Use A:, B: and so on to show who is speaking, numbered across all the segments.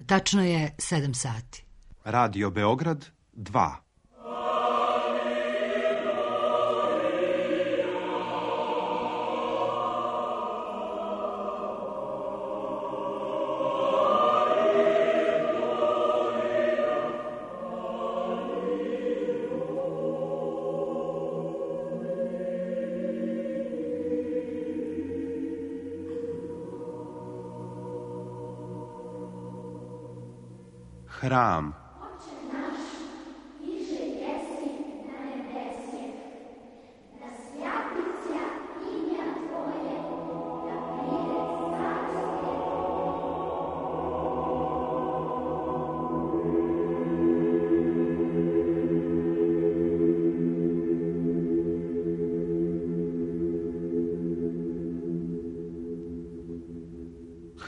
A: Tačno je 7 sati.
B: Radio Beograd 2. Hram.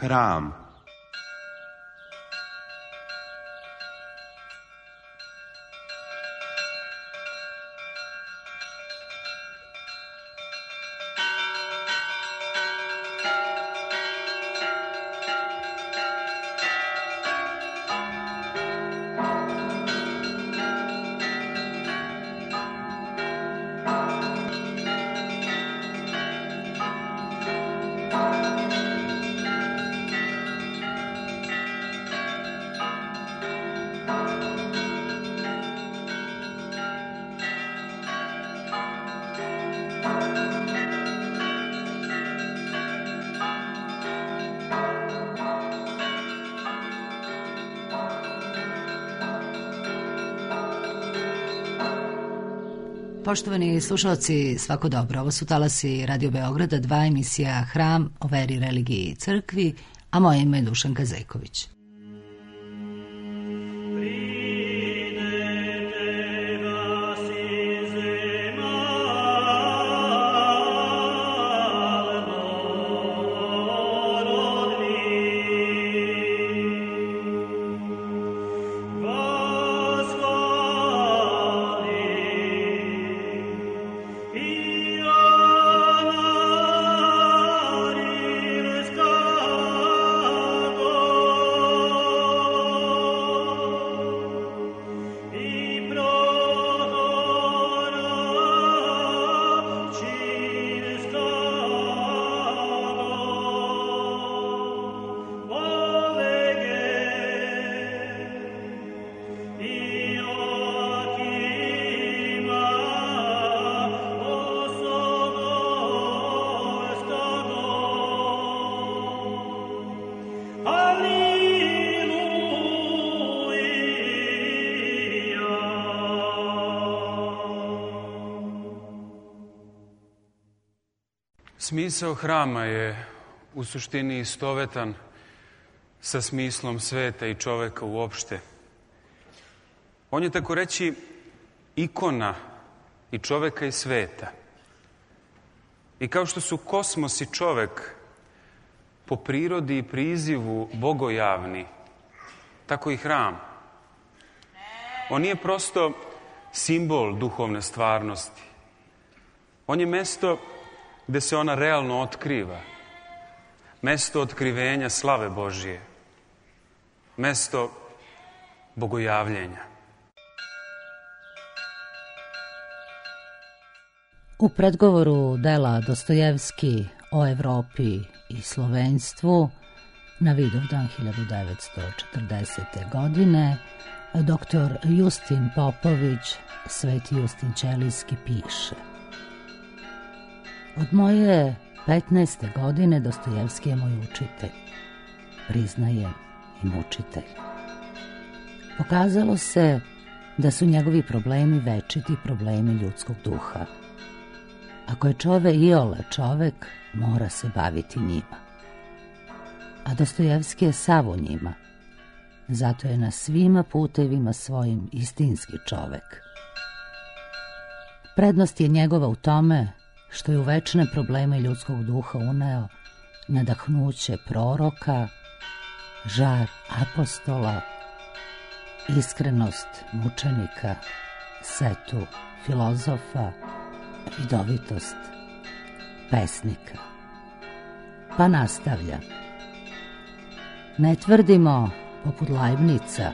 B: Hram.
A: Poštovani slušalci, svako dobro. Ovo su talasi Radio Beograda 2, emisija Hram o veri, religiji i crkvi, a moje ime je Dušanka Zejković.
C: Smisao hrama je u suštini istovetan sa smislom sveta i čoveka uopšte. On je tako reći ikona i čoveka i sveta. I kao što su kosmos i čovek po prirodi i prizivu bogojavni, tako i hram. On nije prosto simbol duhovne stvarnosti. On je mesto gde se ona realno otkriva. Mesto otkrivenja slave Božije. Mesto bogojavljenja.
A: U predgovoru dela Dostojevski o Evropi i slovenstvu na Vidovdan 1940. godine dr. Justin Popović, Sveti Justin Ćelijski, piše: Od moje 15. godine Dostojevski je moj učitelj, priznajem i mučitelj. Pokazalo se da su njegovi problemi večiti problemi ljudskog duha. Ako je čovek iole čovek, mora se baviti njima. A Dostojevski je sav u njima. Zato je na svima putevima svojim istinski čovek. Prednost je njegova u tome što je u večne probleme ljudskog duha uneo nadahnuće proroka, žar apostola, iskrenost mučenika, setu filozofa, vidovitost pesnika. Pa nastavlja: Ne tvrdimo poput Leibnica,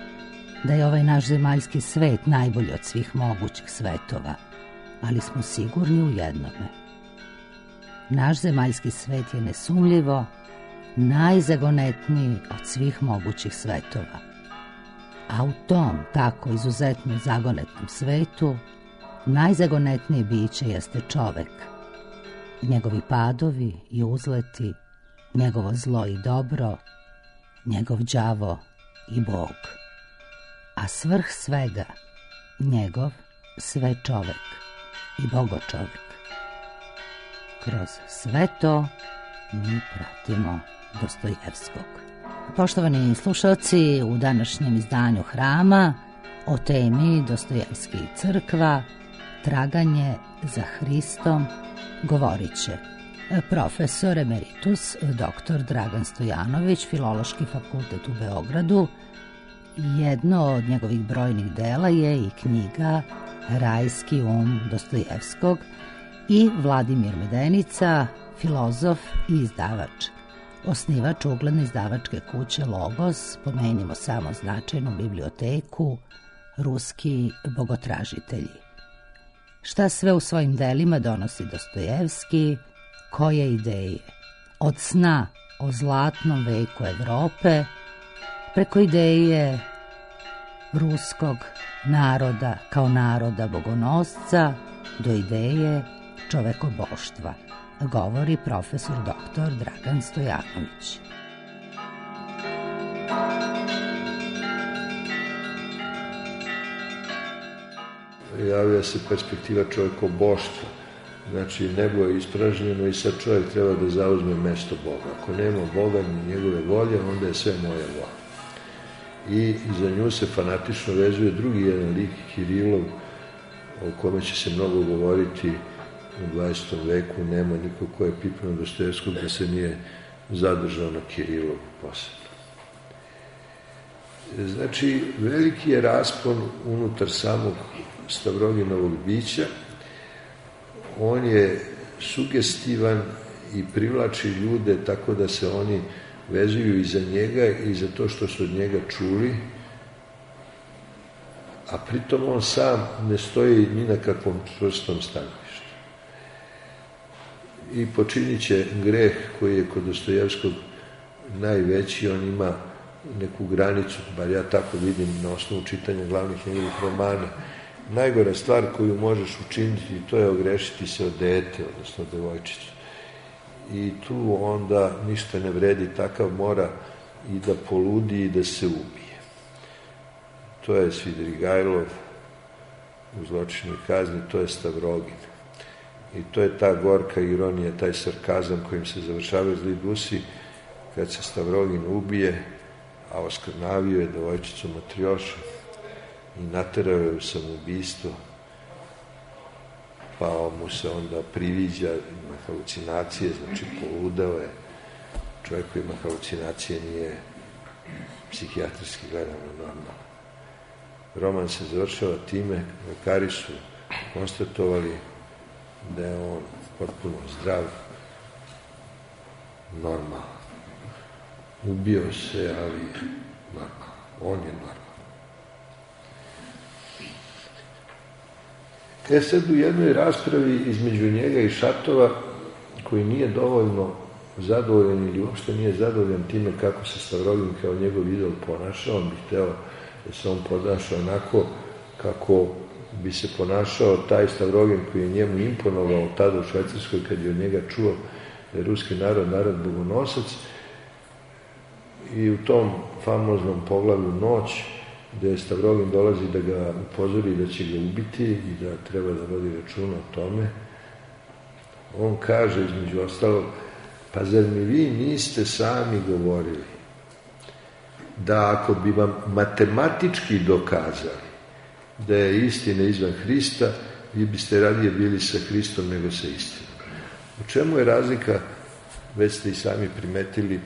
A: da je ovaj naš zemaljski svet najbolji od svih mogućih svetova, ali smo sigurni u jednome. Naš zemaljski svet je nesumljivo najzagonetniji od svih mogućih svetova. A u tom tako izuzetno zagonetnom svetu najzagonetnije biće jeste čovek. Njegovi padovi i uzleti, njegovo zlo i dobro, njegov đavo i Bog. A svrh svega, njegov sve čovek i bogočovek. Kroz sve to mi pratimo Dostojevskog. Poštovani slušalci, u današnjem izdanju Hrama o temi Dostojevski i crkva, traganje za Hristom, govorit će profesor emeritus dr. Dragan Stojanović, Filološki fakultet u Beogradu. Jedno od njegovih brojnih dela je i knjiga Rajski Dostojevskog, i Vladimir Medenica, filozof i izdavač, osnivač ugledne izdavačke kuće Logos, pomenimo samo značajnu biblioteku, Ruski bogotražitelji. Šta sve u svojim delima donosi Dostojevski, koje ideje? Od sna o zlatnom veku Evrope, preko ideje ruskog naroda kao naroda bogonosca, do ideje čovekoboštva, govori profesor dr. Dragan Stojanović.
D: Javlja se perspektiva čovekoboštva. Znači, nebo je ispražnjeno i sad čovjek treba da zauzme mesto Boga. Ako nema Boga ni njegove volje, onda je sve moja volja. I za nju se fanatično vezuje drugi jedan lik, Kirilov, o kome će se mnogo govoriti u 20. veku. Nema niko ko je pipnuo Dostojevskog da se nije zadržao na Kirilovu posebno. Znači, veliki je raspon unutar samog Stavroginovog bića. On je sugestivan i privlači ljude tako da se oni vezuju i za njega i za to što su od njega čuli, a pritom on sam ne stoji ni na kakvom čvrstom stanovištu. I počinit će greh koji je kod Dostojevskog najveći. On ima neku granicu, bar ja tako vidim na osnovu čitanja glavnih njegovih romana. Najgora stvar koju možeš učiniti, to je ogrešiti se od dete, odnosno devojčicu. I tu onda ništa ne vredi, takav mora i da poludi i da se ubije. To je Svidrigajlov u Zločinoj kazni, to je Stavrogin. I to je ta gorka ironija, taj sarkazam kojim se završavaju zli dusi, kad se Stavrogin ubije, a oskrnavio je devojčicu Matrjošu i naterao je u samoubistvo, pa mu se onda priviđa, ima halucinacije, znači poludeo je. Čovjek koji ima halucinacije nije psihijatrijski gledano normalno. Roman se završava time, lekari su konstatovali da je on potpuno zdrav, normalan. Ubio se, ali normalan. On je normalan. Sad u jednoj raspravi između njega i Šatova, koji nije dovoljno zadovoljan ili uopšte nije zadovoljan time kako se Stavrogin kao njegov idol ponašao, on bi hteo da se on ponaša onako kako bi se ponašao taj Stavrogin koji je njemu imponovao tada u Švajcarskoj kad je od njega čuo da je ruski narod, narod bogonosac. I u tom famoznom poglavlju Noć, gde Stavrogin dolazi da ga upozori da će ga ubiti i da treba da vodi računa o tome, on kaže između ostalog, pa zar mi vi niste sami govorili da ako bi vam matematički dokazali da je istina izvan Hrista, vi biste radije bili sa Hristom nego sa istinom. U čemu je razlika, već ste i sami primetili,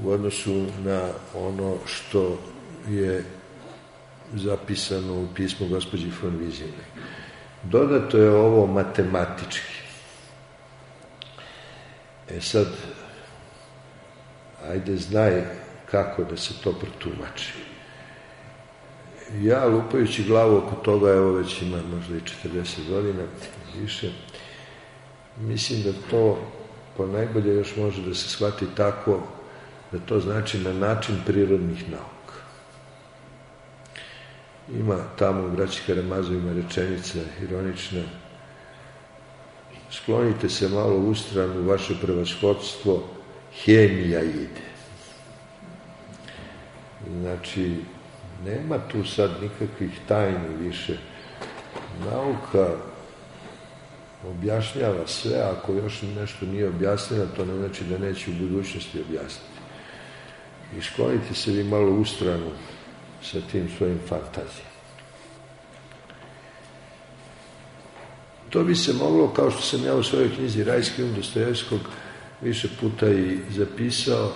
D: u odnosu na ono što je zapisano u pismu gospođi von Wiesenbeck. Dodato je ovo matematički. Sad, ajde znaj kako da se to protumači. Ja, lupajući glavu oko toga, evo već ima možda i 40 godina, više, mislim da to ponajbolje još može da se shvati tako da to znači na način prirodnih nauka. Ima tamo u braći Karamazovima rečenica ironična: sklonite se malo u stranu, vaše prevashodstvo, hemija ide. Znači, nema tu sad nikakvih tajni više. Nauka objašnjava sve, ako još nešto nije objasnjeno, to ne znači da neće u budućnosti objasniti. I sklonite se vi malo u stranu sa tim svojim fantazijama. To bi se moglo, kao što sam ja u svojoj knjizi Rajski um Dostojevskog više puta i zapisao,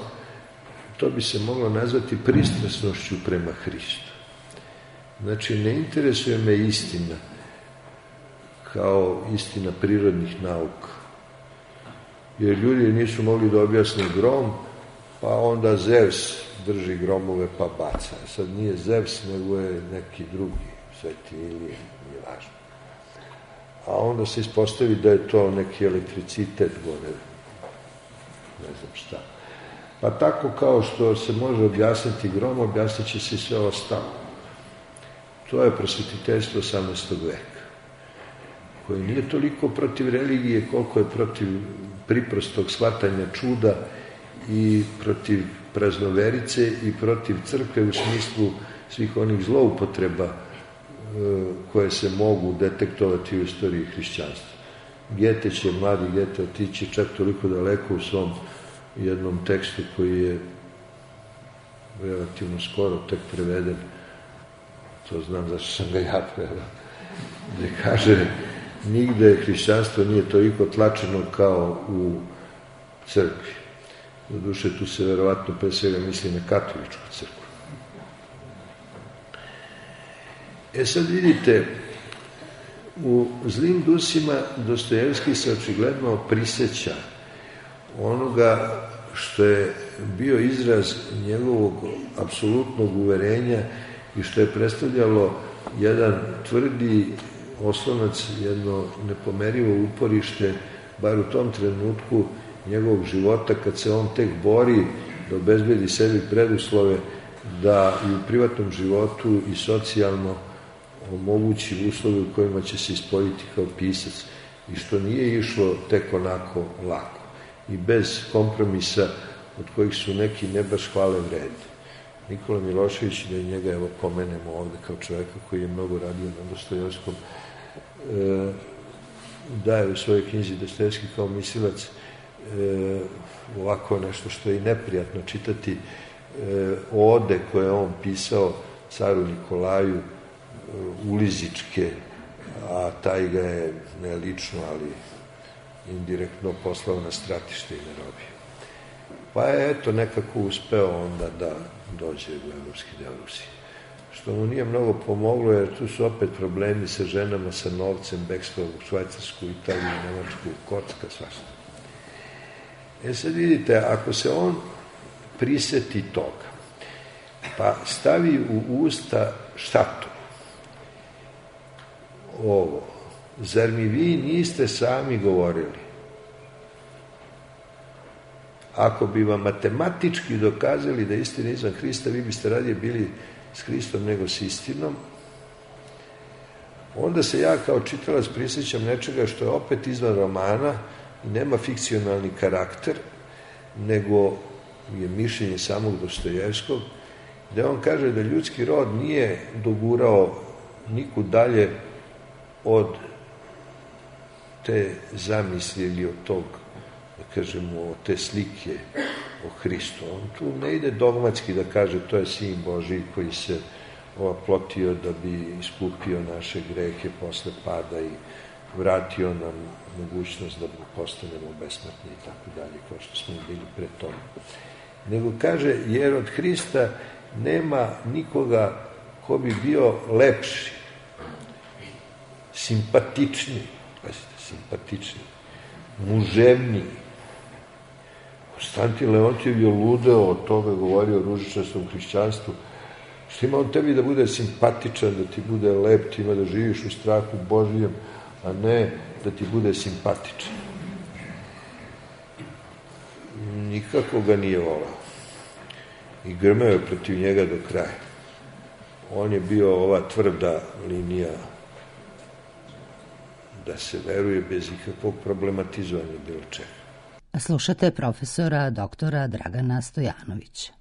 D: to bi se moglo nazvati pristrasnošću prema Hristu. Znači, ne interesuje me istina kao istina prirodnih nauka. Jer ljudi nisu mogli da objasne grom, pa onda Zevs drži gromove pa baca. Sad nije Zevs, nego je neki drugi, Sveti Ilije, nije važno. A onda se ispostavi da je to neki elektricitet gore, ne znam šta. Pa tako kao što se može objasniti grom, objasnit će se i sve ostalo. To je prosvetiteljstvo 18. veka, koje nije toliko protiv religije koliko je protiv priprostog shvatanja čuda i protiv praznoverice i protiv crkve u smislu svih onih zloupotreba koje se mogu detektovati u istoriji hrišćanstva. Gete će, mladi Gete, otići čak toliko daleko u svom jednom tekstu koji je relativno skoro tek preveden, to znam zašto sam ga ja preveo, gde kaže: nigde hrišćanstvo nije toliko tlačeno kao u crkvi. Doduše, tu se verovatno pre svega misli na katoličku crkvu. Sad vidite, u Zlim dusima Dostojevski se očigledno priseća onoga što je bio izraz njegovog apsolutnog uverenja i što je predstavljalo jedan tvrdi oslonac, jedno nepomerivo uporište, bar u tom trenutku njegovog života, kad se on tek bori da obezbedi sebi preduslove da i u privatnom životu i socijalno omogući uslove u kojima će se ispoljiti kao pisac, i što nije išlo tek onako lako i bez kompromisa od kojih su neki ne baš hvale vredni. Nikola Milošević, da i njega evo pomenemo ovde kao čoveka koji je mnogo radio na Dostojevskom, daje u svojoj knjizi Dostojevski kao mislilac ovako nešto što je i neprijatno čitati, ode koje je on pisao caru Nikolaju, ulizičke, a taj ga je ne lično, ali indirektno poslao na stratište i na robiju. Pa je eto nekako uspeo onda da dođe u evropski deo Rusije. Što mu nije mnogo pomoglo, jer tu su opet problemi sa ženama, sa novcem, bekstvo u Švajcarsku, Italiju, Nemačku, kocka, svašta. Sad vidite, ako se on priseti toga, pa stavi u usta šatu ovo: zar mi vi niste sami govorili? Ako bi vam matematički dokazali da je istina izvan Hrista, vi biste radije bili s Hristom nego s istinom. Onda se ja kao čitalac prisjećam nečega što je opet izvan romana i nema fikcionalni karakter, nego je mišljenje samog Dostojevskog, gde on kaže da ljudski rod nije dogurao nikud dalje od te zamisli ili od tog, da kažemo, od te slike o Hristu. On tu ne ide dogmatski da kaže to je Sin Božiji koji se oplotio da bi iskupio naše grehe posle pada i vratio nam mogućnost da postanemo besmrtni i tako dalje, kao što smo bili pre toga. Nego kaže, jer od Hrista nema nikoga ko bi bio lepši, simpatičniji, pazite, simpatičniji, muževniji, Konstantin Leontijev je ludeo od toga, govorio o ružičastom hrišćanstvu. Što ima on tebi da bude simpatičan, da ti bude lep, ti ima da živiš u strahu Božijem, a ne da ti bude simpatičan. Nikako ga nije volao. I grmeo je protiv njega do kraja. On je bio ova tvrda linija da se veruje bez ikakvog problematizovanja bilo čega.
A: Slušate profesora doktora Dragana Stojanovića.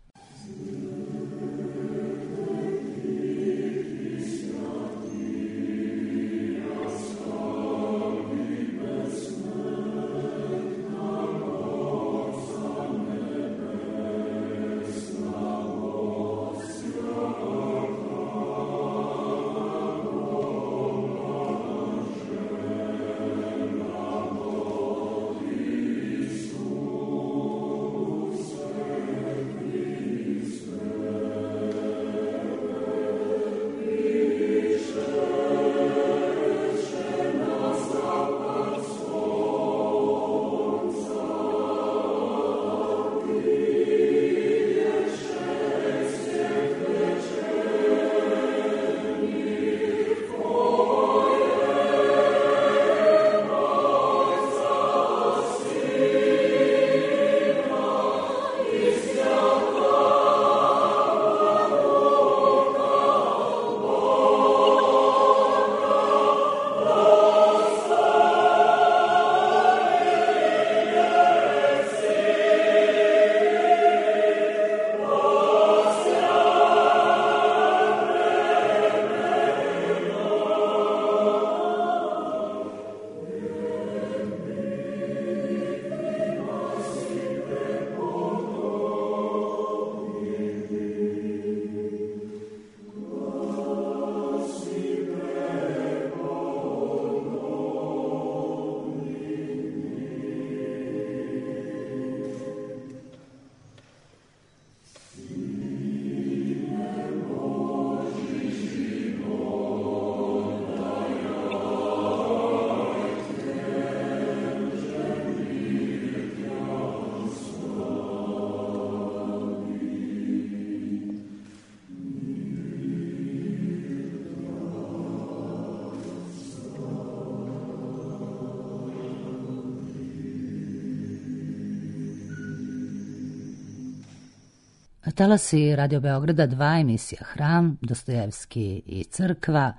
A: Talasi Radio Beograda 2, emisija Hram, Dostojevski i crkva,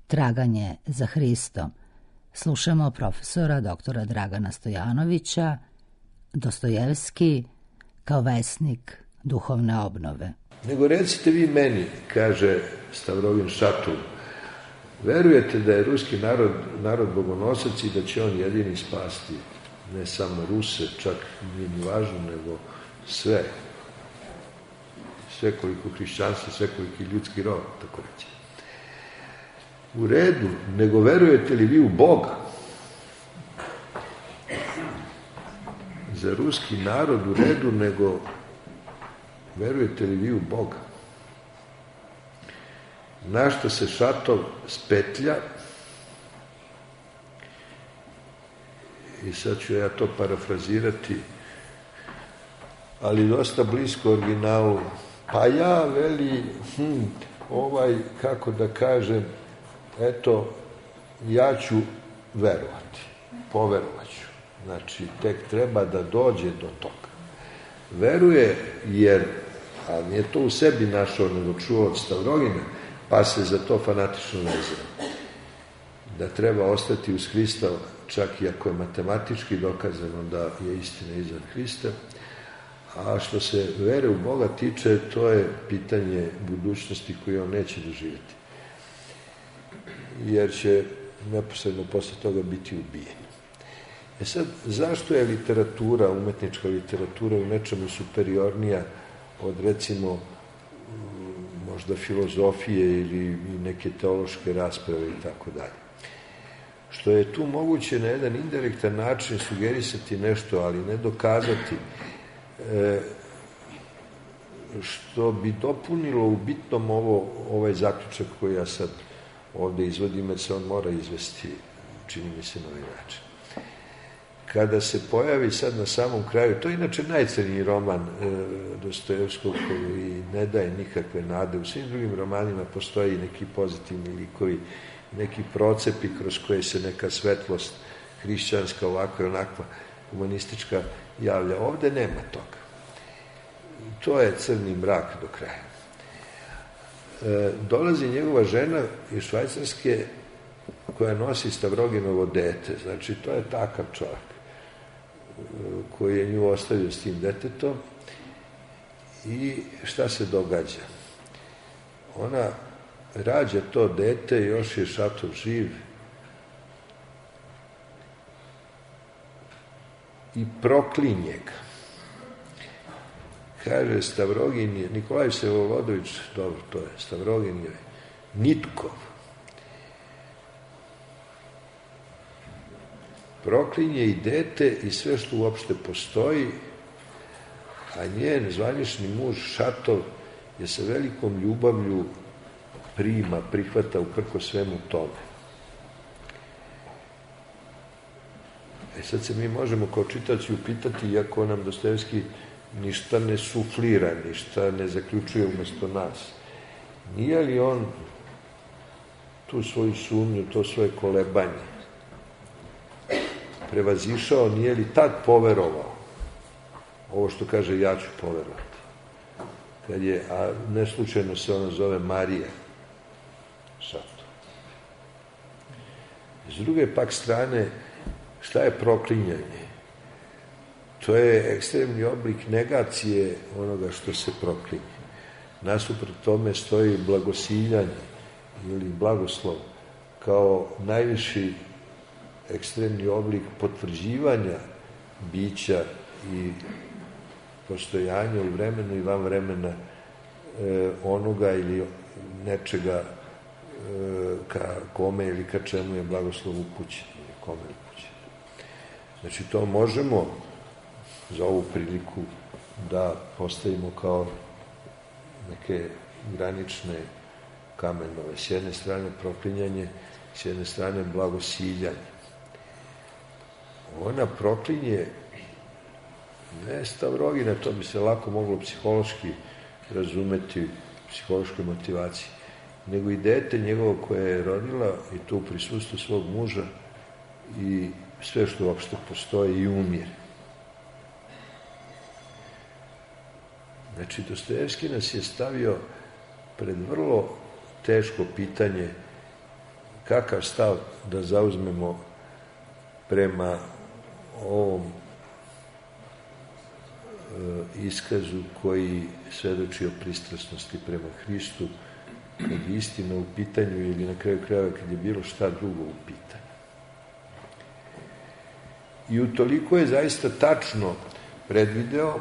A: Traganje za Hristom. Slušamo profesora doktora Dragana Stojanovića, Dostojevski kao vesnik duhovne obnove.
D: Nego recite vi meni, kaže Stavrovin Šatul, verujete da je ruski narod bogonosac i da će on jedini spasti ne samo Ruse, čak nije ni važno, nego sve koliko hrišćanstvo, sve koliki ljudski rod, tako reći. U redu, nego verujete li vi u Boga? Za ruski narod u redu, nego verujete li vi u Boga? Na što se Šatov spetlja, i sad ću ja to parafrazirati, ali dosta blisko originalu. Pa ja, veli, kako da kažem, eto, ja ću verovati, poverovat ću. Znači, tek treba da dođe do toga. Veruje jer, a nije to u sebi našao, nego čuo od Stavrovina, pa se za to fanatično vezao. Da treba ostati uz Hrista, čak i ako je matematički dokazano da je istina iznad Hrista. A što se vere u Boga tiče, to je pitanje budućnosti koju on neće doživjeti. Jer će neposredno posle toga biti ubijen. Sad, zašto je literatura, umetnička literatura u nečemu superiornija od, recimo, možda filozofije ili neke teološke rasprave i tako dalje? Što je tu moguće na jedan indirektan način sugerisati nešto, ali ne dokazati, što bi dopunilo u bitnom ovaj zaključak koji ja sad ovde izvodim, jer se on mora izvesti, čini mi se, na ovaj način. kada se pojavi sad na samom kraju, to je inače najcrniji roman Dostojevskog koji ne daje nikakve nade. U svim drugim romanima postoji neki pozitivni likovi, neki procepi kroz koje se neka svetlost hrišćanska, ovakva i onakva, humanistička javlja. Ovde nema toga. To je crni mrak do kraja. Dolazi njegova žena iz Švajcarske koja nosi Stavroginovo dete. Znači, to je takav čovjek koji je nju ostavio s tim detetom. I šta se događa? Ona rađa to dete, još je Šatov živ i proklinje ga. Kaže, Stavrogin je, Nikolaj Vsevolodovich, dobro, to je, Stavrogin je Nitkov. Proklinje i dete i sve što uopšte postoji, a njen zvanični muž Šatov je sa velikom ljubavlju prihvata uprko svemu tome. Sad se mi možemo kao čitaoci upitati, iako nam Dostojevski ništa ne suflira, ništa ne zaključuje umesto nas. Nije li on tu svoju sumnju, to svoje kolebanje prevazišao, nije li tad poverovao ovo što kaže ja ću poverovati? Kad je, a ne slučajno se ona zove Marija Šato. S druge pak strane, šta je proklinjanje? To je ekstremni oblik negacije onoga što se proklinje. Nasuprot tome stoji blagosiljanje ili blagoslov kao najviši ekstremni oblik potvrđivanja bića i postojanja u vremenu i van vremena onoga ili nečega ka kome ili ka čemu je blagoslov upućen ili kome je upućen. Znači, to možemo za ovu priliku da postavimo kao neke granične kamenove. S jedne strane proklinjanje, s jedne strane blagosiljanje. Ona proklinje ne Stavrogina, to bi se lako moglo psihološki razumeti, psihološkoj motivaciji, nego i dete njegovo koje je rodila i to u prisustvu svog muža i sve što uopšte postoji i umire. Znači, Dostojevski nas je stavio pred vrlo teško pitanje kakav stav da zauzmemo prema ovom iskazu koji svedoči o pristrasnosti prema Hristu, kad je istina u pitanju ili na kraju krajeva kad je bilo šta drugo u pitanju. I utoliko je zaista tačno predvideo,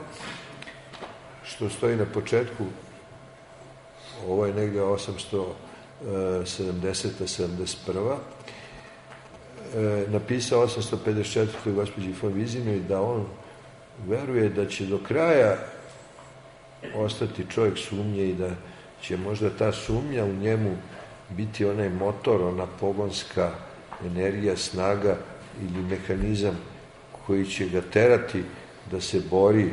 D: što stoji na početku, ovo je negde 870-71, napisao 854. gospođi von Wizinoj da on veruje da će do kraja ostati čovjek sumnje i da će možda ta sumnja u njemu biti onaj motor, ona pogonska energija, snaga ili mehanizam koji će ga terati da se bori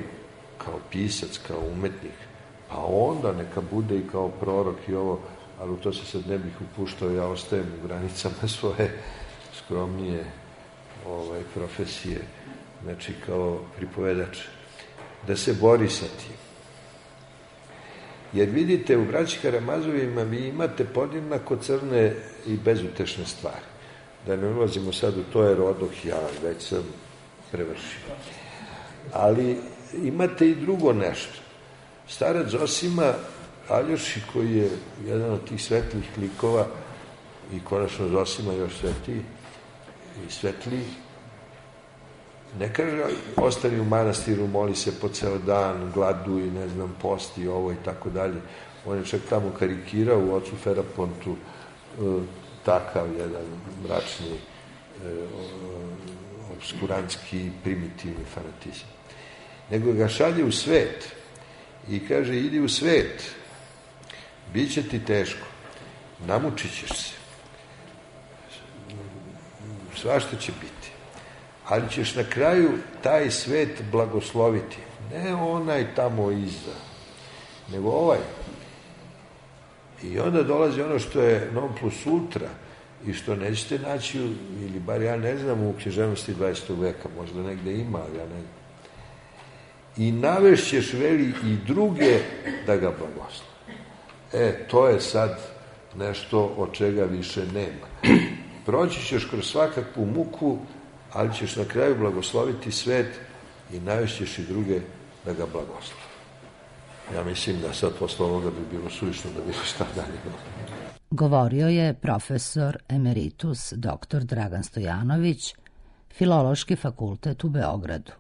D: kao pisac, kao umetnik, pa onda neka bude i kao prorok i ovo, ali u to se sad ne bih upuštao, ja ostajem u granicama svoje skromnije profesije, znači kao pripovedač, da se bori sa tim. Jer vidite, u braći Karamazovima vi imate podjednako crne i bezutešne stvari. Da ne ulazimo sad u to, jer odoh ja, već sam prevršio. Ali imate i drugo nešto. Starac Zosima Aljoši, koji je jedan od tih svetlih likova, i konačno Zosima još svetliji i svetliji, ne kaže ostani u manastiru, moli se po ceo dan, gladuj, ne znam, posti, ovo i tako dalje. On je čak tamo karikirao u ocu Ferapontu takav jedan mračni, obskurantski, primitivni fanatizam. Nego ga šalje u svet i kaže, idi u svet, bit će ti teško, namučit ćeš se, svašta će biti, ali ćeš na kraju taj svet blagosloviti. Ne onaj tamo iza, nego ovaj. I onda dolazi ono što je non plus ultra i što nećete naći, ili bar ja ne znam, u književnosti 20. veka, možda negde ima, ali ja ne znam. I navešćeš, veli, i druge da ga blagoslove. To je sad nešto od čega više nema. Proći ćeš kroz svakakvu muku, ali ćeš na kraju blagosloviti svet i navešćeš i druge da ga blagoslove. Ja mislim da sad posle ovoga bi bilo suvišno da bilo šta dalje.
A: Govorio je profesor emeritus dr. Dragan Stojanović, Filološki fakultet u Beogradu.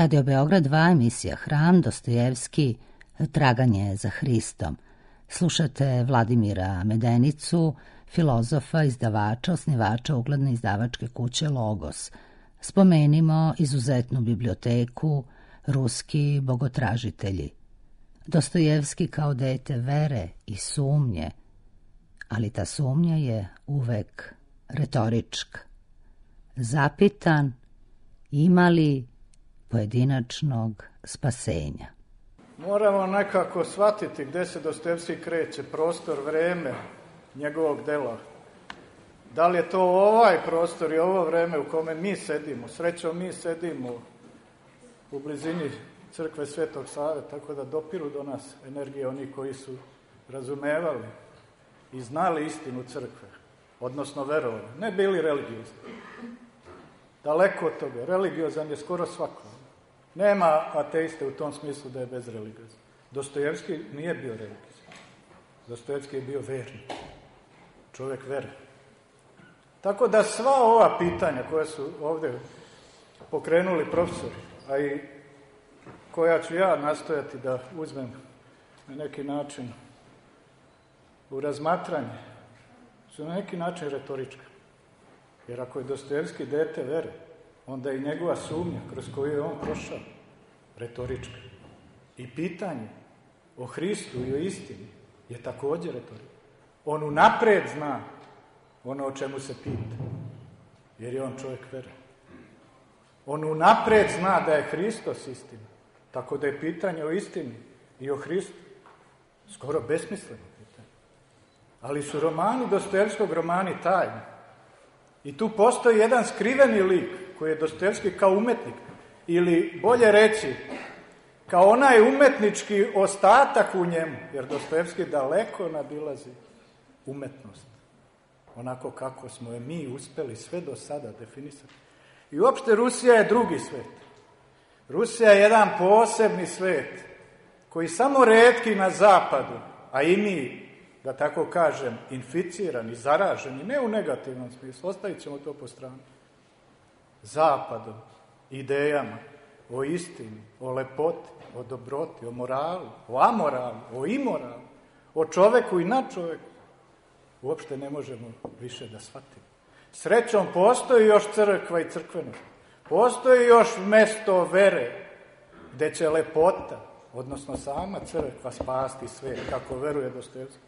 A: Radio Beograd 2, emisija Hram, Dostojevski, Traganje za Hristom. Slušate Vladimira Medenicu, filozofa, izdavača, osnivača ugledne izdavačke kuće Logos. Spomenimo izuzetnu biblioteku, Ruski bogotražitelji. Dostojevski kao dete vere i sumnje, ali ta sumnja je uvek retorička. Zapitan, ima li pojedinačnog spasenja?
E: Moramo nekako shvatiti gde se Dostojevski kreće, prostor, vreme njegovog dela. Da li je to ovaj prostor i ovo vreme u kome mi sedimo? Srećom mi sedimo u blizini crkve Svetog Save, tako da dopiru do nas energije oni koji su razumevali i znali istinu crkve, odnosno verovali, ne bili religiozni. Daleko od toga, religiozan je skoro svako. Nema ateiste u tom smislu da je bezreligiozan. Dostojevski nije bio religiozan. Dostojevski je bio vernik, čovjek vere. Tako da sva ova pitanja koja su ovdje pokrenuli profesori, a i koja ću ja nastojati da uzmem na neki način u razmatranje, su na neki način retorička. Jer ako je Dostojevski dete vere, onda i njegova sumnja kroz koju je on prošao retorička. I pitanje o Hristu i o istini je također retorička. On unapred zna ono o čemu se pita, jer je on čovjek vere. On unapred zna da je Hristos istina, tako da je pitanje o istini i o Hristu skoro besmisleno pitanje. Ali su romani Dostojevskog romani tajni. I tu postoji jedan skriveni lik koji je Dostojevski kao umetnik, ili bolje reći, kao onaj umetnički ostatak u njemu, jer Dostojevski daleko nadilazi umetnost, onako kako smo je mi uspeli sve do sada definisati. I uopšte Rusija je drugi svet. Rusija je jedan posebni svet koji samo retki na zapadu, a i mi, da tako kažem, inficirani, zaraženi, ne u negativnom smislu, ostavit ćemo to po strani, zapadom, idejama, o istini, o lepoti, o dobroti, o moralu, o amoralu, o imoralu, o čoveku i nad čoveku, uopšte ne možemo više da shvatimo. Srećom, postoji još crkva i crkvenost. Postoji još mesto vere, gde će lepota, odnosno sama crkva, spasti svet, kako veruje Dostojevski.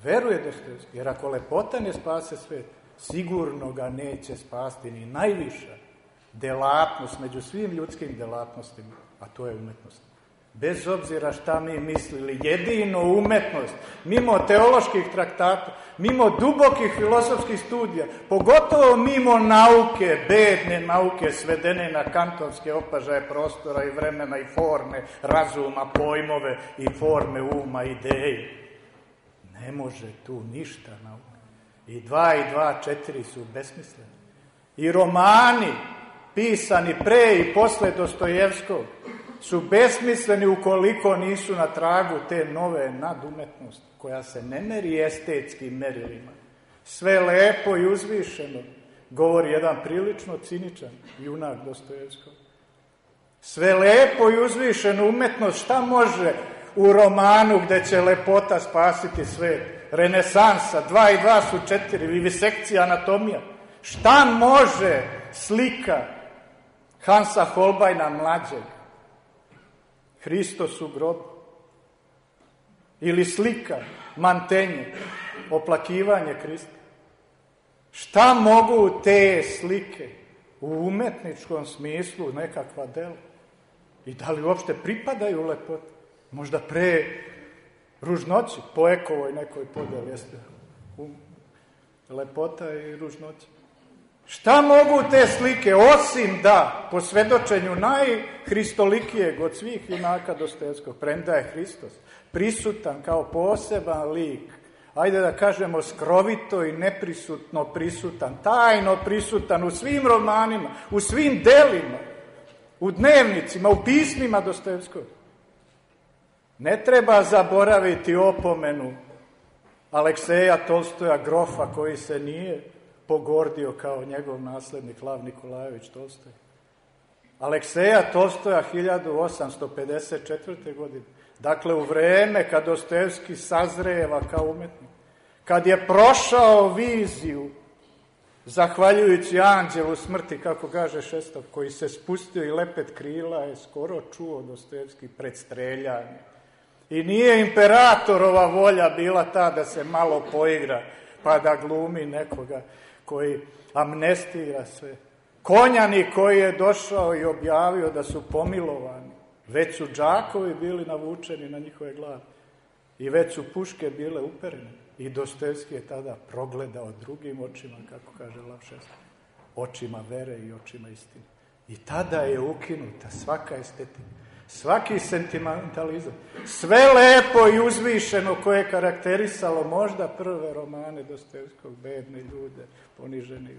E: Veruje Dostojevski, jer ako lepota ne spase svet, sigurno ga neće spasti ni najviša delatnost među svim ljudskim delatnostima, a to je umetnost. Bez obzira šta mi mislili, jedino umetnost, mimo teoloških traktata, mimo dubokih filozofskih studija, pogotovo mimo nauke, bedne nauke, svedene na kantonske opažaje prostora i vremena i forme, razuma, pojmove i forme uma, ideje. Ne može tu ništa nauka. I 2 i 2, 4 su besmisleni. I romani, pisani pre i posle Dostojevskog, su besmisleni ukoliko nisu na tragu te nove nadumetnosti, koja se ne meri estetskim merilima. Sve lepo i uzvišeno, govori jedan prilično ciničan junak Dostojevskog. Sve lepo i uzvišeno umetnost, šta može u romanu gde će lepota spasiti svet? Renesansa, 2 i 2 su 4, vivisekcija, anatomija. Šta može slika Hansa Holbeina mlađeg? Hristos u grobu. Ili slika Mantenje, oplakivanje Krista. Šta mogu te slike u umetničkom smislu nekakva dela? I da li uopšte pripadaju lepoti? Možda pre ružnoći, po Ekovoj nekoj podeli, jeste lepota i ružnoća. Šta mogu te slike, osim da, po svedočenju najhristolikijeg od svih junaka Dostojevskog, premda je Hristos prisutan kao poseban lik, ajde da kažemo skrovito i neprisutno prisutan, tajno prisutan u svim romanima, u svim delima, u dnevnicima, u pismima Dostojevskog. Ne treba zaboraviti opomenu Alekseja Tolstoja, grofa, koji se nije pogordio kao njegov naslednik Lav Nikolajević Tolstoj. Alekseja Tolstoja 1854. godine. Dakle, u vreme kad Dostojevski sazreva kao umetnik, kad je prošao viziju, zahvaljujući anđelu smrti, kako kaže Šestov, koji se spustio i lepet krila je skoro čuo Dostojevski pred streljanje. I nije imperatorova volja bila ta da se malo poigra, pa da glumi nekoga koji amnestira sve. Konjani koji je došao i objavio da su pomilovani, već su džakovi bili navučeni na njihove glave i već su puške bile uperene. I Dostojevski je tada progledao drugim očima, kako kaže Lav Šestov, očima vere i očima istine. I tada je ukinuta svaka estetika, svaki sentimentalizam, sve lepo i uzvišeno koje je karakterisalo možda prve romane Dostojevskog, bedne ljude, ponižene i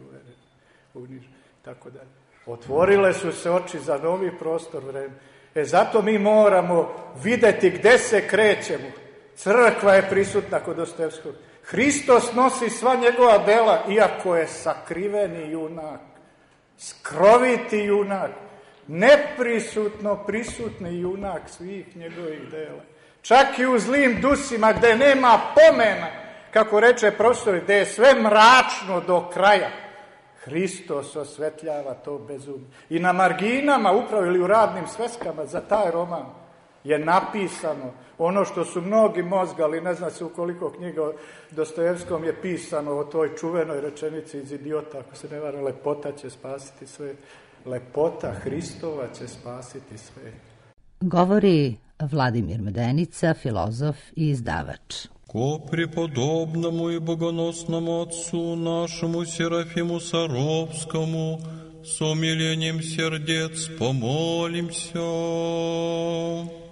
E: unižene, tako dalje. Otvorile su se oči za novi prostor vreme. Zato mi moramo videti gde se krećemo. Crkva je prisutna kod Dostojevskog. Hristos nosi sva njegova dela, iako je sakriveni junak, skroviti junak, neprisutno prisutni junak svih njegovih dela. Čak i u zlim dusima gde nema pomena, kako reče profesor, gde je sve mračno do kraja, Hristos osvetljava to bezumje. I na marginama, upravo ili u radnim sveskama za taj roman, je napisano ono što su mnogi mozgali, ne zna se u koliko knjiga o Dostojevskom je pisano o toj čuvenoj rečenici iz Idiota, ako se ne vara, lepota će spasiti sve. Lepota Hristova će spasiti sve.
A: Govori Vladimir Medenica, filozof i izdavač.
F: Ко преподобному и богоносному отцу нашему Серафиму Саровскому с умилением сердец помолимся.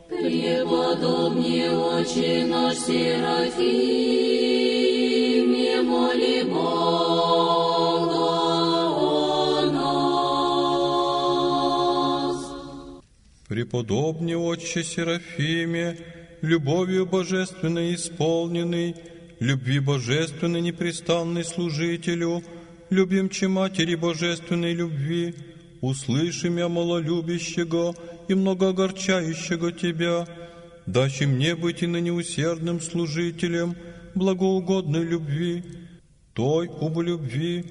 G: Преподобный Отче наш Серафим, не моли Бога о нас.
F: Преподобный Отче Серафиме, любовью божественной исполненный, любви божественной непрестанной служителю, любимче Матери Божественной любви, услыши мя малолюбящего и многоогорчающего Тебя, дачи мне быть и ныне усердным служителем благоугодной любви, той убо любви,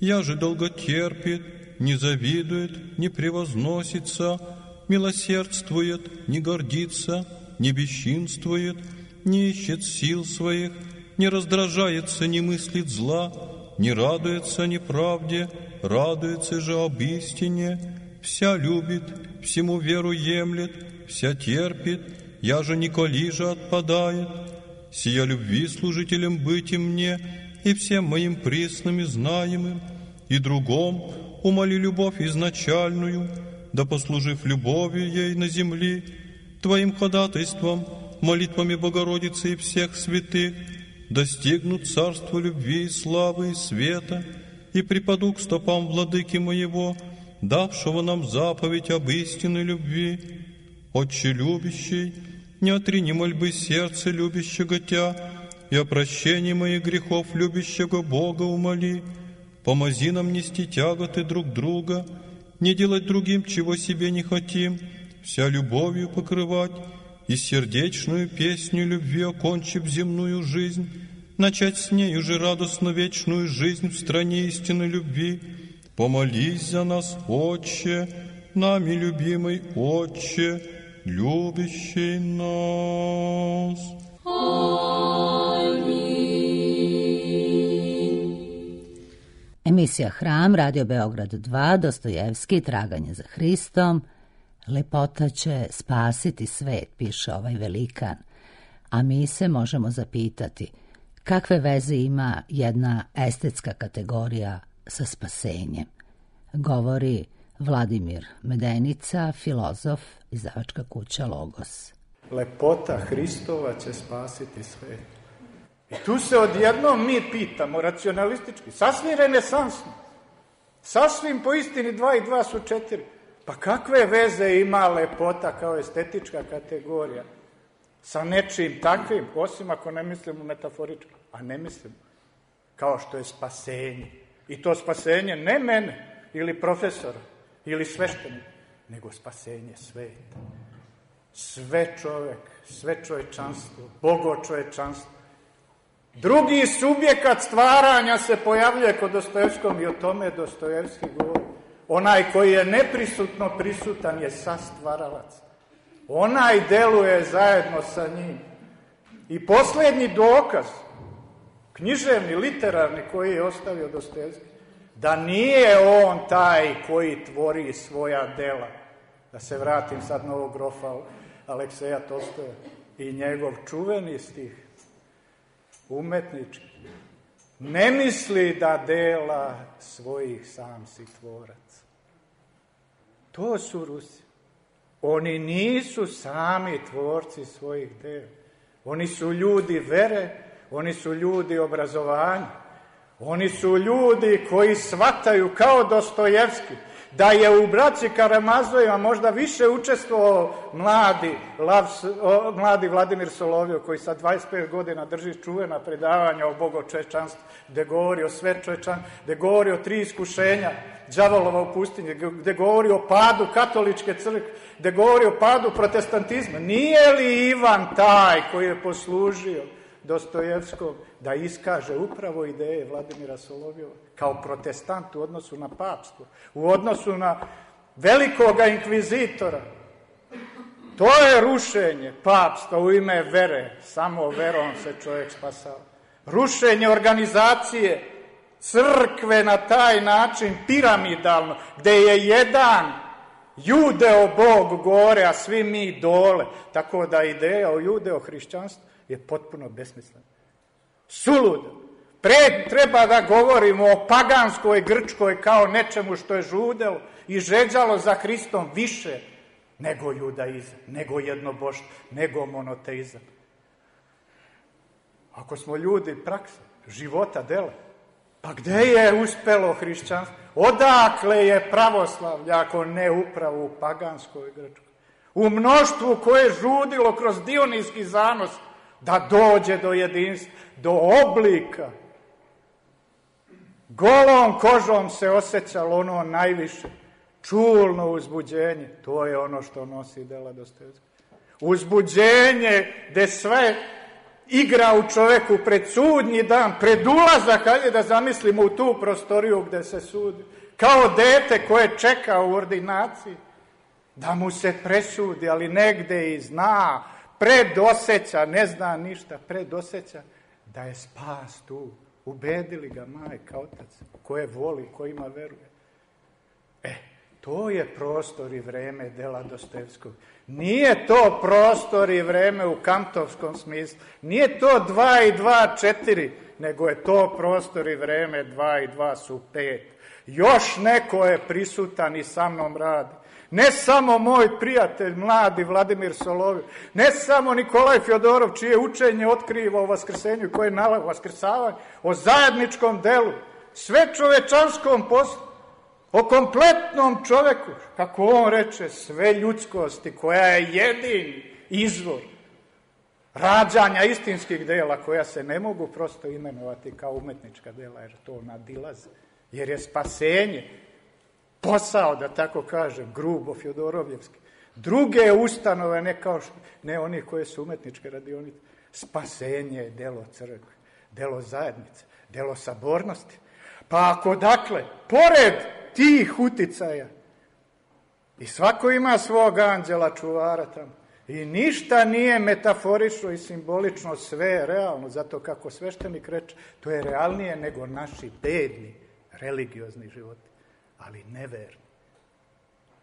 F: я же долготерпит, не завидует, не превозносится, милосердствует, не гордится, не бесчинствует, не ищет сил своих, не раздражается, не мыслит зла, не радуется неправде, радуется же об истине, вся любит, всему веру емлет, вся терпит, я же николи же отпадает. Сия любви служителем быть и мне, и всем моим пресным и знаемым, и другом умоли любовь изначальную, да послужив любовью ей на земли, Твоим ходатайством, молитвами Богородицы и всех святых, достигнут царства любви и славы и света, и припаду к стопам владыки моего, давшего нам заповедь об истинной любви. Отче любящий, не отрини мольбы сердца любящего Тя, и о прощении моих грехов любящего Бога умоли. Помози нам нести тяготы друг друга, не делать другим, чего себе не хотим, вся любовью покрывать, и сердечную песню любви окончив земную жизнь, начать с нею же радостно вечную жизнь в стране истинной любви. Помолись за нас, Отче, нами любимый Отче, любящий нас.
A: Emisija Hram, Radio Beograd 2, Dostojevski, Traganje za Hristom. Lepota će spasiti svet, piše ovaj velikan. A mi se možemo zapitati kakve veze ima jedna estetska kategorija sa spasenjem. Govori Vladimir Medenica, filozof, izdavačka kuća Logos.
E: Lepota Hristova će spasiti svet. I tu se odjednom mi pitamo, racionalistički, sasvim renesansno, sasvim po istini 2 i 2 su 4. Pa kakve veze ima lepota kao estetička kategorija sa nečim takvim, osim ako ne mislimo metaforički, a ne mislimo, kao što je spasenje. I to spasenje ne mene ili profesora ili sveštenika, nego spasenje sveta. Sve čovek, sve čovečanstvo, Bogo čovečanstvo. Drugi subjekat stvaranja se pojavljuje kod Dostojevskom i o tome Dostojevski govori. Onaj koji je neprisutno prisutan je sastvaralac. Onaj deluje zajedno sa njim. I posljednji dokaz, književni, literarni, koji je ostavio Dostojevski, da nije on taj koji tvori svoja dela. Da se vratim sad na ovog grofa Alekseja Tolstoja i njegov čuveni stih, umetnički. Ne misli da dela svojih sam si tvorac. To su Rusi. Oni nisu sami tvorci svojih dela. Oni su ljudi vere, oni su ljudi obrazovanja. Oni su ljudi koji shvataju kao Dostojevski da je u braći Karamazovima možda više učestvovao mladi Vladimir Solovjov, koji sa 25 godina drži čuvena predavanja o bogočovečanstvu, gde govori o svečovečanstvu, gde govori o 3 iskušenja đavolova u pustinji, gde govori o padu katoličke crkve, gde govori o padu protestantizma. Nije li Ivan taj koji je poslužio Dostojevskom da iskaže upravo ideje Vladimira Solovjova kao protestant u odnosu na papstvo, u odnosu na velikoga inkvizitora? To je rušenje papstva u ime vere. Samo verom se čovjek spasava. Rušenje organizacije crkve na taj način piramidalno, gde je jedan judeo Bog gore, a svi mi dole. Tako da ideja o judeo hrišćanstvu je potpuno besmislena. Suludo. Treba da govorimo o paganskoj Grčkoj kao nečemu što je žudelo i žeđalo za Hristom više nego judaizam, nego jednoboštvo, nego monoteizam. Ako smo ljudi prakse, života, dela, pa gde je uspelo hrišćanstvo? Odakle je pravoslavlje ako ne upravo u paganskoj Grčkoj? u mnoštvu koje je žudilo kroz dionijski zanos da dođe do jedinstva, do oblika. Golom kožom se osjećalo ono najviše, čulno uzbuđenje. To je ono što nosi dela Dostojevskog. Uzbuđenje gde sve igra u čoveku pred sudnji dan, pred ulazak, hajde da zamislimo u tu prostoriju gde se sudi. Kao dete koje čeka u ordinaciji da mu se presudi, ali negde i zna, predoseća, ne zna ništa, predoseća da je spas tu. Ubedili ga majka, otac, koje voli, kojima veruje. To je prostor i vreme dela Dostojevskog. Nije to prostor i vreme u kantovskom smislu. Nije to 2 i 2, 4, nego je to prostor i vreme 2 i 2 su 5. Još neko je prisutan i sa mnom radi. Ne samo moj prijatelj, mladi Vladimir Solovjev, ne samo Nikolaj Fjodorov, čije učenje otkriva o vaskrsenju i koje je nalazi vaskrsavanje, o zajedničkom delu, sve čovečanskom poslu, o kompletnom čoveku, kako on reče, sve ljudskosti, koja je jedini izvor rađanja istinskih dela, koja se ne mogu prosto imenovati kao umetnička dela, jer to nadilaze, jer je spasenje posao, da tako kažem, grubo Fjodorovjevski. Druge ustanove, ne oni koje su umetničke radionice. Spasenje je delo crkve, delo zajednice, delo sabornosti. Pa ako dakle, pored tih uticaja, i svako ima svog anđela čuvara tamo, i ništa nije metaforično i simbolično, sve je realno, zato kako sveštenik reče, to je realnije nego naši bedni religiozni životi, ali neverni.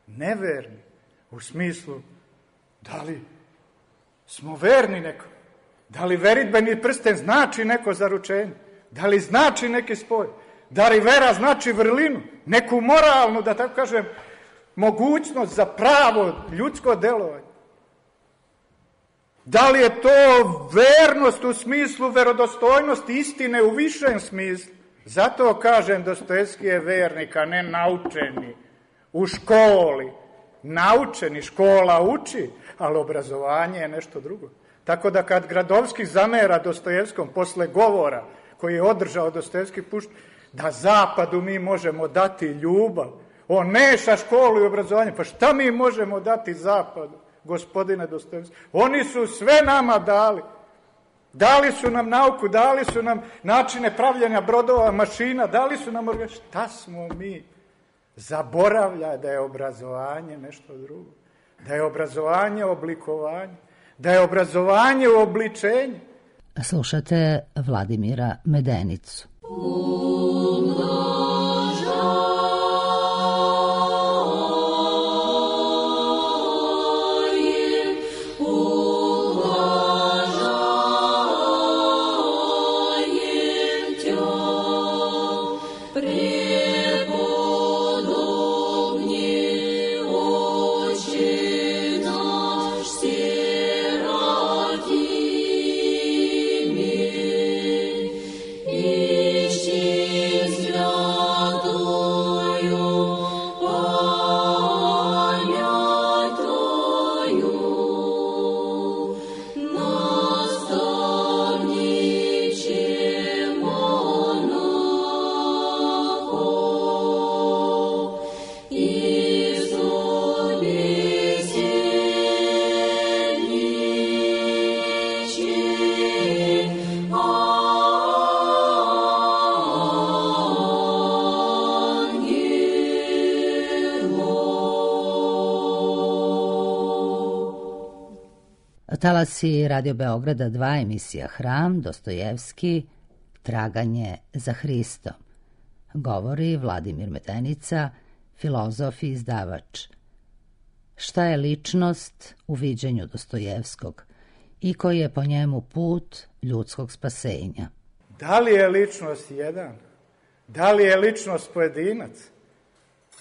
E: Neverni u smislu, da li smo verni nekom, da li veridbeni prsten znači neko zaručenje, da li znači neki spoj, da li vera znači vrlinu, neku moralnu, da tako kažem, mogućnost za pravo ljudsko delovanje. Da li je to vernost u smislu verodostojnosti istine u višem smislu? Zato kažem, Dostojevski je vernik, a ne naučeni u školi. Naučeni, škola uči, ali obrazovanje je nešto drugo. Tako da kad Gradovski zamera Dostojevskom posle govora koji je održao Dostojevski pušt, da zapadu mi možemo dati ljubav, on meša školu i obrazovanje, pa šta mi možemo dati zapadu, gospodine Dostojevski? Oni su sve nama dali. Dali su nam nauku, dali su nam načine pravljenja brodova, mašina, dali su nam šta smo mi? Zaboravlja da je obrazovanje nešto drugo. Da je obrazovanje oblikovanje. Da je obrazovanje uobličenje.
A: Slušate Vladimira Medenicu. Talasi Radio Beograda 2, emisija Hram, Dostojevski, Traganje za Hristom. Govori Vladimir Medenica, filozof i izdavač. Šta je ličnost u viđenju Dostojevskog i koji je po njemu put ljudskog spasenja?
E: Da li je ličnost jedan? Da li je ličnost pojedinac?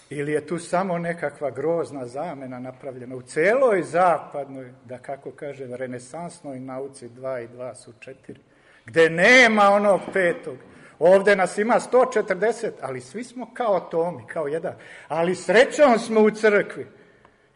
E: Ili je tu samo nekakva grozna zamena napravljena u celoj zapadnoj, da kako kažem, renesansnoj nauci 2 i 2 su 4, gde nema onog petog. Ovde nas ima 140, ali svi smo kao atomi, kao jedan. Ali srećom smo u crkvi.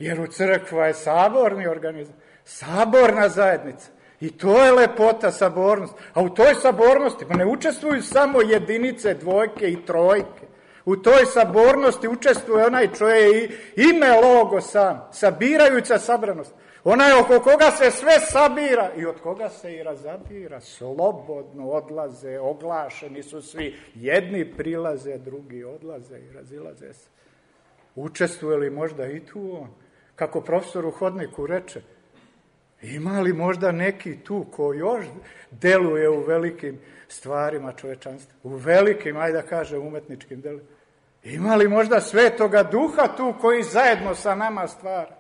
E: Jer u crkva je saborni organizam, saborna zajednica. I to je lepota, sabornost. A u toj sabornosti ne učestvuju samo jedinice, dvojke i trojke. U toj sabornosti učestvuje onaj čovjek ime logo sam, sabirajuća sabranost. Onaj oko koga se sve sabira i od koga se i razabira. Slobodno odlaze, oglašeni su svi. Jedni prilaze, drugi odlaze i razilaze se. Učestvuje li možda i tu on? Kako profesor u hodniku reče, ima li možda neki tu ko još deluje u velikim stvarima čovečanstva? U velikim, ajde da kažem, umetničkim delima. Ima li možda Svetoga Duha tu koji zajedno sa nama stvara?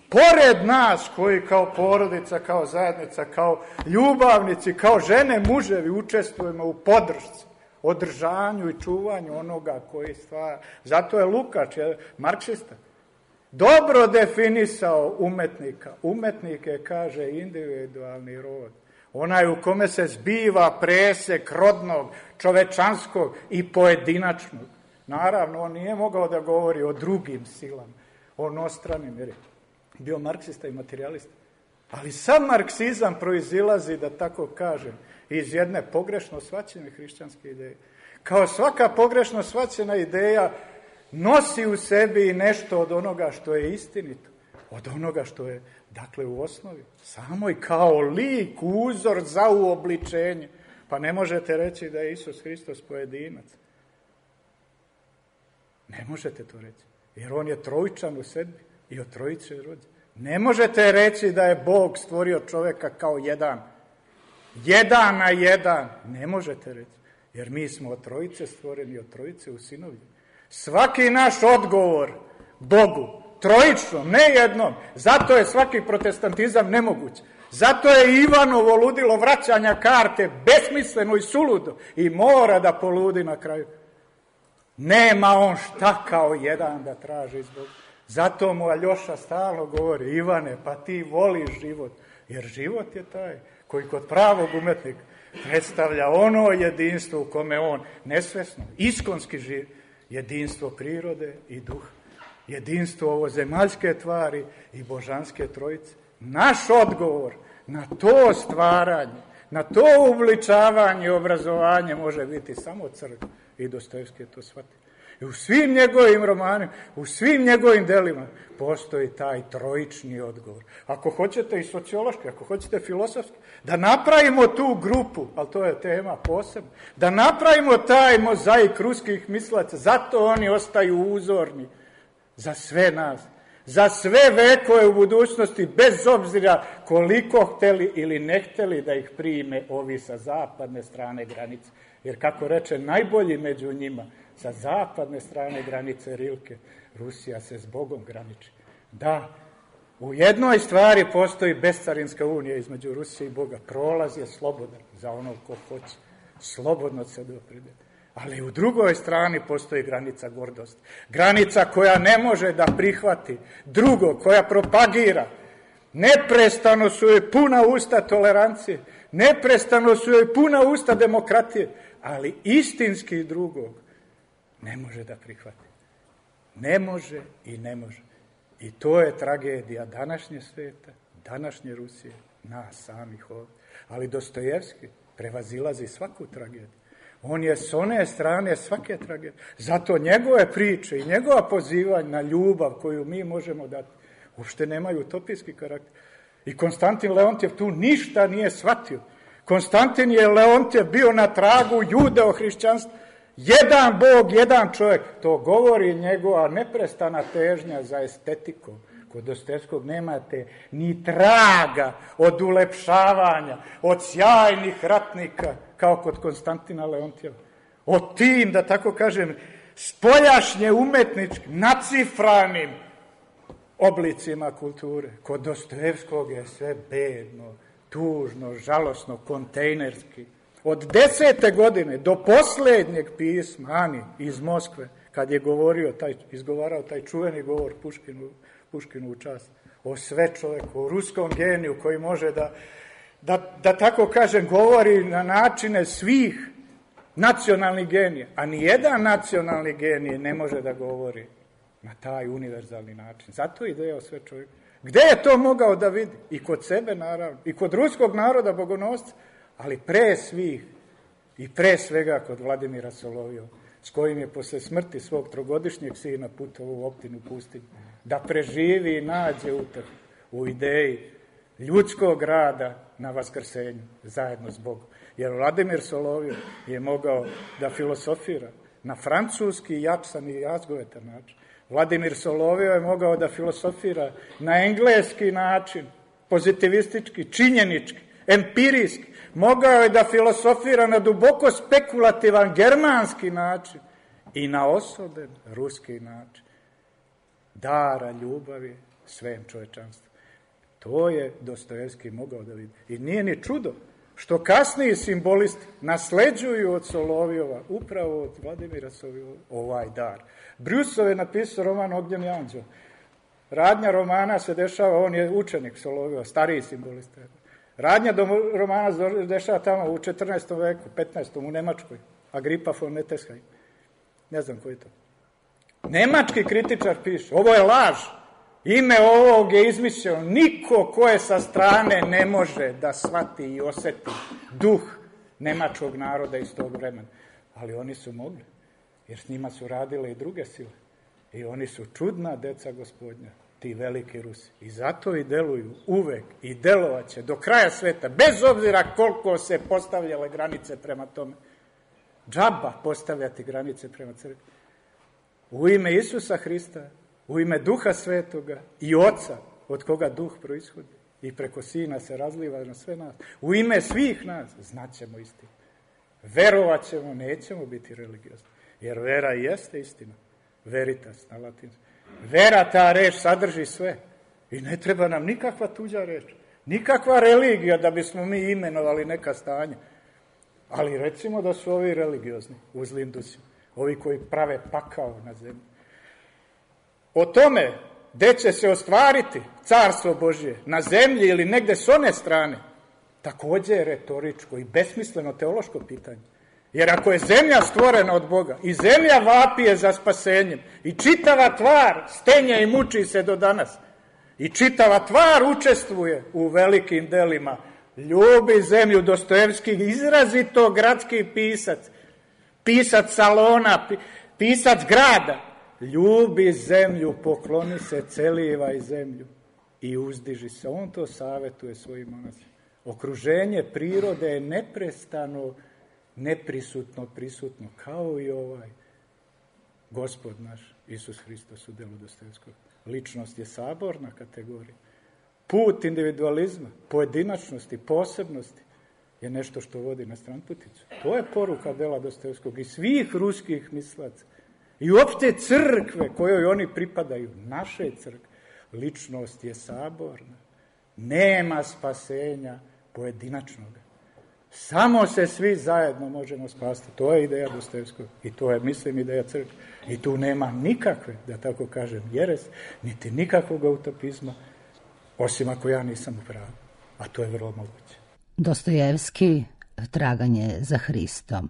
E: Pored nas koji kao porodica, kao zajednica, kao ljubavnici, kao žene, muževi učestvujemo u podršci, održanju i čuvanju onoga koji stvara. Zato je Lukács, marksista, dobro definisao umetnika. Umetnik je, kaže, individualni rod. Onaj u kome se zbiva presek rodnog, čovečanskog i pojedinačnog. Naravno, on nije mogao da govori o drugim silama, o nostranim, jer je bio marksista i materijalista. Ali sam marksizam proizilazi, da tako kažem, iz jedne pogrešno shvaćene hrišćanske ideje. Kao svaka pogrešno shvaćena ideja nosi u sebi i nešto od onoga što je istinito, od onoga što je, dakle, u osnovi, samo i kao lik, uzor za uobličenje. Pa ne možete reći da je Isus Hristos pojedinac. Ne možete to reći, jer on je trojčan u sebi i od trojice je rođen. Ne možete reći da je Bog stvorio čoveka kao jedan na jedan. Ne možete reći, jer mi smo od trojice stvoreni, od trojice usinovljeni. Svaki naš odgovor Bogu, trojičnom, ne jednom, zato je svaki protestantizam nemoguć. Zato je Ivanovo ludilo vraćanja karte besmisleno i suludo i mora da poludi na kraju. Nema on šta kao jedan da traži iz Boga. Zato mu Aljoša stalno govori, Ivane, pa ti voliš život, jer život je taj koji kod pravog umetnika predstavlja ono jedinstvo u kome on nesvesno, iskonski živi, jedinstvo prirode i duha, jedinstvo ovozemaljske tvari i božanske trojice. Naš odgovor na to stvaranje, na to ubličavanje i obrazovanje može biti samo crkva i Dostojevski je to shvatio. I u svim njegovim romanima, u svim njegovim delima postoji taj trojični odgovor. Ako hoćete i sociološki, ako hoćete filosofski, da napravimo tu grupu, ali to je tema posebna, da napravimo taj mozaik ruskih mislaca, zato oni ostaju uzorni za sve nas, za sve vekove u budućnosti, bez obzira koliko hteli ili ne hteli da ih prime ovi sa zapadne strane granice. Jer kako reče najbolji među njima, sa zapadne strane granice Rilke, Rusija se s Bogom graniči. Da, u jednoj stvari postoji bescarinska unija između Rusije i Boga. Prolaz je slobodan za ono ko hoće. Slobodno se dopredeli. Ali u drugoj strani postoji granica gordosti. Granica koja ne može da prihvati drugo, koja propagira. Neprestano su joj puna usta tolerancije. Neprestano su joj puna usta demokratije. Ali istinski drugog ne može da prihvati. Ne može i ne može. I to je tragedija današnje sveta, današnje Rusije, nas samih ovdje. Ali Dostojevski prevazilazi svaku tragediju. On je s one strane svake tragedije. Zato njegove priče i njegova pozivanja na ljubav koju mi možemo dati, uopšte nemaju utopijski karakter. I Konstantin Leontjev tu ništa nije shvatio. Konstantin je Leontjev bio na tragu judeo-hrišćanstva. Jedan Bog, jedan čovjek. To govori njegova neprestana težnja za estetikom. Kod Dostojevskog nemate ni traga od ulepšavanja, od sjajnih ratnika, kao kod Konstantina Leontjeva. Od tim, da tako kažem, spoljašnje umetničkim, nacifranim oblicima kulture. Kod Dostojevskog je sve bedno, tužno, žalosno, kontejnerski. Od 10. godine do posljednjeg pisma Ani iz Moskve, kad je izgovarao taj čuveni govor Puškinu u čast o sve čoveku, o ruskom geniju koji može da tako kažem, govori na načine svih nacionalnih genija, a nijedan nacionalni genij ne može da govori na taj univerzalni način. Zato je ideja o sve čovjeku. Gde je to mogao da vidi? I kod sebe, naravno. I kod ruskog naroda bogonosca, ali pre svih i pre svega kod Vladimira Solovjova, s kojim je posle smrti svog trogodišnjeg sina putovao u Optinu pustinju, da preživi i nađe utrh u ideji ljudskog rada na vaskrsenju, zajedno s Bogom. Jer Vladimir Solovjov je mogao da filosofira na francuski, jačan i jazgovetan način. Vladimir Solovjov je mogao da filosofira na engleski način, pozitivistički, činjenički, empirijski. Mogao je da filosofira na duboko spekulativan germanski način i na osoben ruski način. Dara ljubavi svem čovečanstvu. To je Dostojevski mogao da vidi. I nije ni čudo što kasniji simbolisti nasleđuju od Solovjova, upravo od Vladimira Solovjova, ovaj dar. Brusov je napisao roman Ognjeni anđeo. Radnja romana se dešava, on je učenik Solovjova, stariji simbolista. Radnja romana se dešava tamo u 14. veku, 15. u Nemačkoj. Agripa von Nettesheim. Ne znam ko je to. Nemački kritičar piše, ovo je laž. Ime ovog je izmišljeno. Niko ko je sa strane ne može da shvati i oseti duh nemačkog naroda iz tog vremena. Ali oni su mogli, jer s njima su radile i druge sile. I oni su čudna deca Gospodnja, ti veliki Rusi. I zato i deluju uvek i delovaće do kraja sveta, bez obzira koliko se postavljale granice prema tome. Džaba postavljati granice prema crkvi. U ime Isusa Hrista, u ime Duha Svetoga i Oca, od koga Duh proishodi i preko Sina se razliva na sve nas. U ime svih nas znaćemo istinu. Verovat ćemo, nećemo biti religiozni. Jer vera jeste istina. Veritas na latinskom. Vera, ta reč, sadrži sve. I ne treba nam nikakva tuđa reč. Nikakva religija da bismo mi imenovali neka stanja. Ali recimo da su ovi religiozni u zlim dusima. Ovi koji prave pakao na zemlji. O tome gde će se ostvariti carstvo Božje, na zemlji ili negde s one strane, takođe je retoričko i besmisleno teološko pitanje. Jer ako je zemlja stvorena od Boga i zemlja vapije za spasenjem i čitava tvar stenja i muči se do danas i čitava tvar učestvuje u velikim delima, ljubi zemlju, Dostojevski, izrazito gradski pisac, pisac salona, pisac grada, ljubi zemlju, pokloni se, celivaj zemlju i uzdiži se. On to savetuje svojim monasima. Okruženje prirode je neprestano, neprisutno, prisutno, kao i ovaj Gospod naš, Isus Hristos u delu Dostojevskog. Ličnost je saborna kategorija. Put individualizma, pojedinačnosti, posebnosti je nešto što vodi na stranputicu. To je poruka dela Dostojevskog i svih ruskih mislaca. I uopšte crkve kojoj oni pripadaju, naše crkve. Ličnost je saborna. Nema spasenja pojedinačnog. Samo se svi zajedno možemo spasti. To je ideja Dostojevskog i to je, mislim, ideja crkve. I tu nema nikakve, da tako kažem, jeres, niti nikakvog utopizma, osim ako ja nisam u pravu. A to je vrlo moguće.
A: Dostojevski, traganje za Hristom.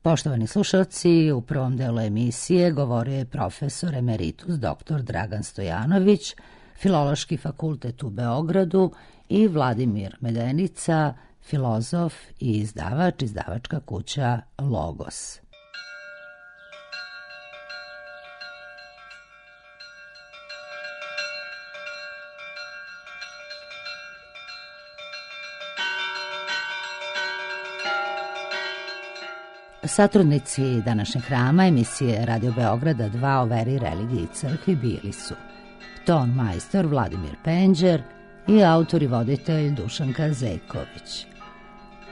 A: Poštovani slušalci, u prvom delu emisije govorio je profesor emeritus dr. Dragan Stojanović, Filološki fakultet u Beogradu, i Vladimir Medenica, filozof i izdavač, izdavačka kuća Logos. Satrudnici današnjeg hrama emisije Radio Beograda 2 o veri, religiji i crkvi bili su ton majstor Vladimir Penđer i autor i voditelj Dušanka Zejković.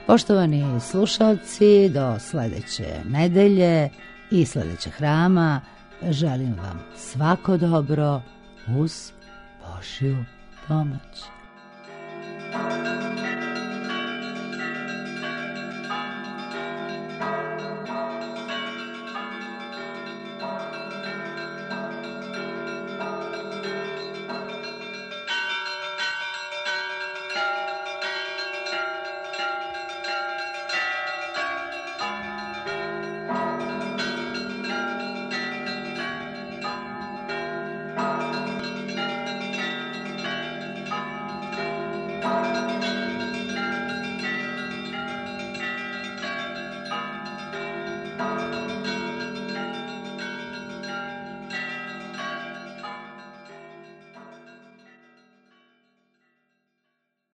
A: Poštovani slušalci, do sledeće nedelje i sledećeg hrama želim vam svako dobro uz Božju pomoć.